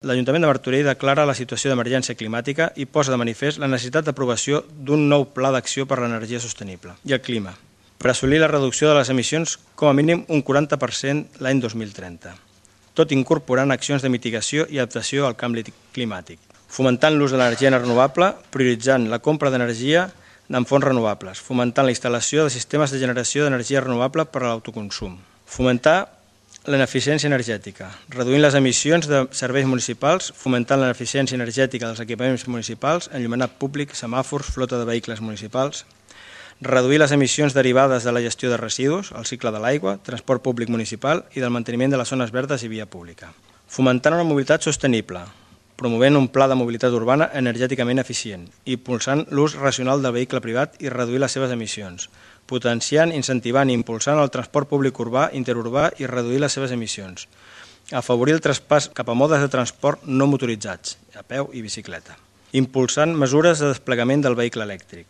L'Ajuntament de Martorell declara la situació d'emergència climàtica i posa de manifest la necessitat d'aprovació d'un nou pla d'acció per l'energia sostenible i el clima, per assolir la reducció de les emissions com a mínim un 40% l'any 2030, tot incorporant accions de mitigació i adaptació al canvi climàtic, fomentant l'ús de l'energia renovable, prioritzant la compra d'energia en fonts renovables, fomentant la instal·lació de sistemes de generació d'energia renovable per a l'autoconsum, fomentar l'eficiència energètica, reduint les emissions de serveis municipals, fomentant l'eficiència energètica dels equipaments municipals, enllumenat públic, semàfors, flota de vehicles municipals, reduir les emissions derivades de la gestió de residus, el cicle de l'aigua, transport públic municipal i del manteniment de les zones verdes i via pública. Fomentant una mobilitat sostenible, promovent un pla de mobilitat urbana energèticament eficient i impulsant l'ús racional del vehicle privat i reduir les seves emissions, potenciant, incentivant i impulsant el transport públic urbà, interurbà i reduir les seves emissions, afavorir el traspàs cap a modes de transport no motoritzats, a peu i bicicleta, impulsant mesures de desplegament del vehicle elèctric,